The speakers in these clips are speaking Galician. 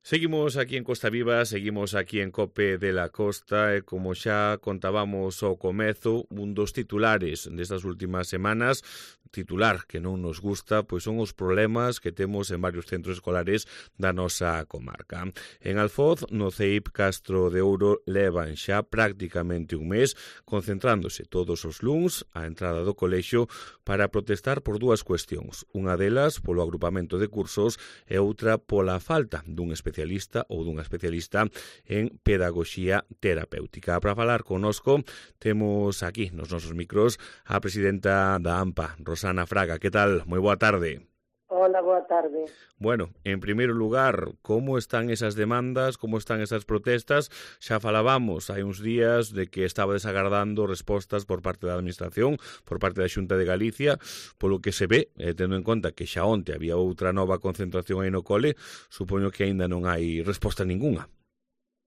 Seguimos aquí en Costa Viva, seguimos aquí en COPE de la Costa e como xa contábamos ao comezo, un dos titulares destas últimas semanas, titular que non nos gusta, pois son os problemas que temos en varios centros escolares da nosa comarca. En Alfoz, no CEIP Castro de Ouro, levan xa prácticamente un mes concentrándose todos os luns á entrada do colexio para protestar por dúas cuestións. Unha delas polo agrupamento de cursos e outra pola falta dun especialista ou dunha especialista en pedagogía terapéutica. Para falar connosco temos aquí nos nosos micros a presidenta da AMPA, Rosana Fraga. Que tal? Moi boa tarde. Hola, boa tarde. Bueno, en primeiro lugar, como están esas demandas, como están esas protestas? Xa falábamos hai uns días de que estaba desagardando respostas por parte da Administración, por parte da Xunta de Galicia, polo que se ve, tendo en conta que xa onte había outra nova concentración aí no cole, supoño que aínda non hai resposta ninguna.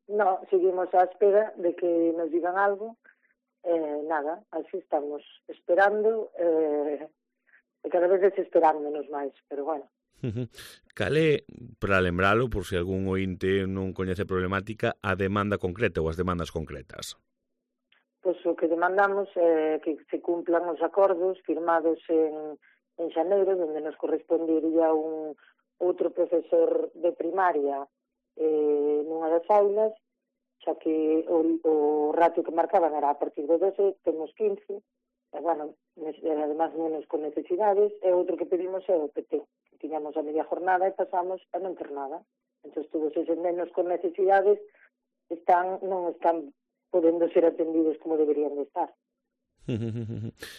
No, seguimos á espera de que nos digan algo. Nada, así estamos esperando, e cada vez desesperándonos máis, pero bueno. Cal é, para lembralo, por se algún ointe non coñece a problemática, a demanda concreta ou as demandas concretas? Pois o que demandamos é que se cumplan os acordos firmados en xaneiro, onde nos correspondería un outro profesor de primaria nunha das aulas, xa que o ratio que marcaban era a partir de 12, temos 15, e, bueno, además menos con necesidades, e outro que pedimos é o PT, que tiñamos a media jornada e pasamos a non ter nada. Entón, todos eses menos con necesidades non están podendo ser atendidos como deberían de estar.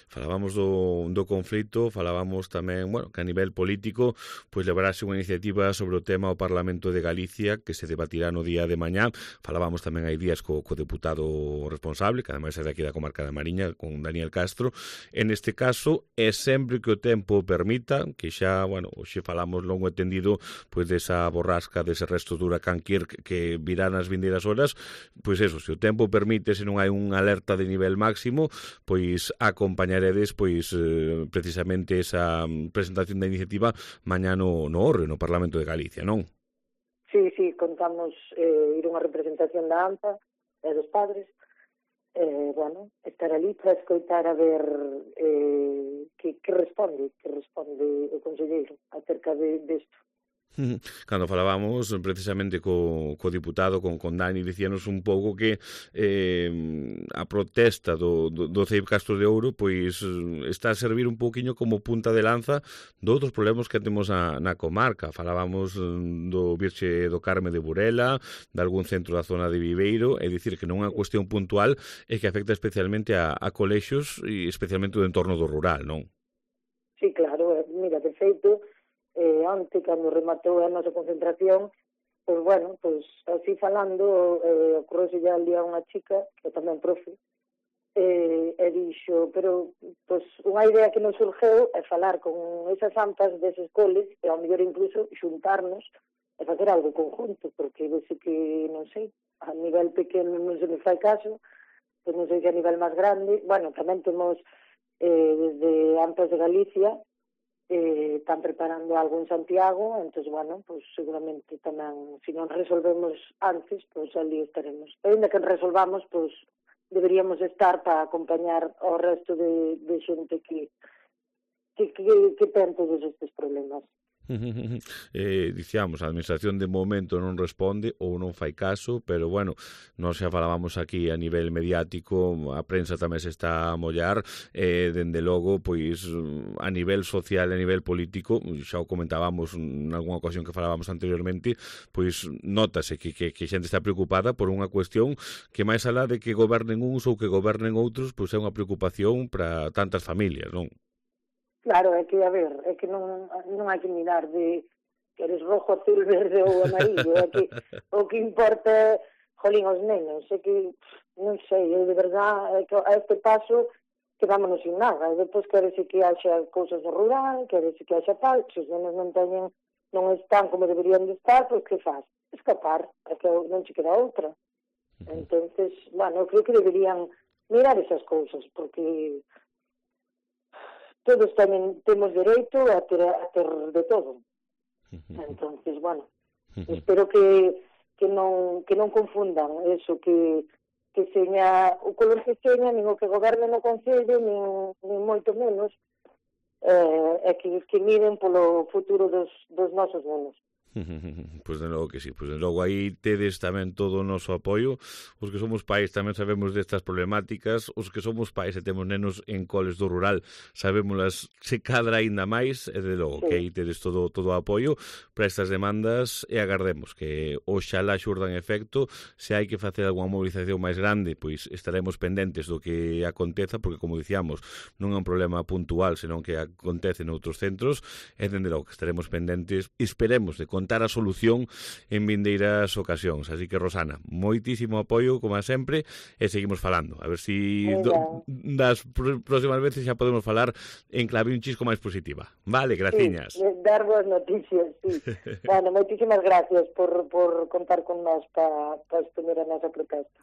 Falábamos do conflito, falábamos tamén, bueno, que a nivel político pois levarase unha iniciativa sobre o tema ao Parlamento de Galicia que se debatirá no día de mañá. Falábamos tamén hai días co deputado responsable, que ademais é daqui da comarca da Mariña, con Daniel Castro. En este caso, é sempre que o tempo permita, que xa, bueno, hoxe falamos longo e tendido pois desa borrasca, dese resto do huracán Kirk que virá nas vindeiras horas, pois eso, se o tempo permite, se non hai unha alerta de nivel máximo, pois acompañaredes pois precisamente esa presentación da iniciativa mañá no Orre, no Parlamento de Galicia, non? Sí, contamos ir unha representación da AMPA e dos padres, bueno, estar ali para escoitar a ver que responde o conselleiro acerca disto. Cando falábamos precisamente co diputado, con Dani, dicíanos un pouco que a protesta do CEIP Castro de Ouro pois está a servir un pouquiño como punta de lanza de outros problemas que temos na comarca. Falábamos do Virxe do Carme de Burela, de algún centro da zona de Viveiro, é dicir que non é unha cuestión puntual e que afecta especialmente a colexios e especialmente o entorno do rural, non? Sí, claro, mira, de feito, onte, cando rematou a nosa concentración, pois, bueno, pois, así falando, ocorrese ya al día unha chica, que tamén profe, e dixo, pero, pois, unha idea que nos surgeu é falar con esas AMPAs deses coles, e ao mellor incluso xuntarnos e facer algo conjunto, porque vese que, non sei, a nivel pequeno non se me fai caso, pois non sei que a nivel máis grande, bueno, tamén temos desde AMPAs de Galicia, están preparando algo en Santiago, entón, bueno, pues seguramente tamén, se non resolvemos antes, pues ali estaremos. E ainda que resolvamos, pues deberíamos estar para acompañar ao resto de xente que ten todos estes problemas. Dicíamos, a administración de momento non responde ou non fai caso, pero bueno, nós xa falábamos aquí a nivel mediático, a prensa tamén se está a mollar, dende logo, pois a nivel social e a nivel político, xa o comentábamos en algunha ocasión que falábamos anteriormente, pois notase que xente está preocupada por unha cuestión que máis alá de que gobernen uns ou que gobernen outros, pois é unha preocupación para tantas familias, non? Claro, é que, a ver, é que non hai que mirar de que eres rojo, azul, verde ou amarillo, é que o que importa, jolín, os nenos, é que, non sei, eu de verdade, é que a este paso quedámonos sin nada, e depois querese que haxa cousas no rural, querese que haxa tal, se os nenos non están como deberían de estar, pois que faz? Escapar, é que non che queda outra. Entonces, bueno, eu creo que deberían mirar esas cousas, porque todos tamén temos dereito a ter de todo. Entonces, bueno, Espero que non confundan eso, que seña o color que seña, nin o que goberne no Concello, nin moito menos, e que miren polo futuro dos nosos nenos. Pois de logo que sí, pois de logo aí tedes tamén todo o noso apoio. Os que somos pais tamén sabemos destas problemáticas, os que somos pais e temos nenos en coles do rural sabémolas se cadra aínda máis, e de logo que aí tedes todo o apoio para estas demandas, e agardemos que oxalá xurdan efecto. Se hai que facer algunha movilización máis grande, pois estaremos pendentes do que aconteza, porque como dicíamos, non é un problema puntual, senón que acontece noutros centros, e dende logo que estaremos pendentes, esperemos de contar a solución en vindeiras ocasións. Así que, Rosana, moitísimo apoio, como sempre, e seguimos falando. A ver si das próximas veces xa podemos falar en clave un chisco máis positiva. Vale, graciñas. Sí, dar boas noticias, sí. Bueno, moitísimas gracias por contar con nós para exponer a nosa protesta.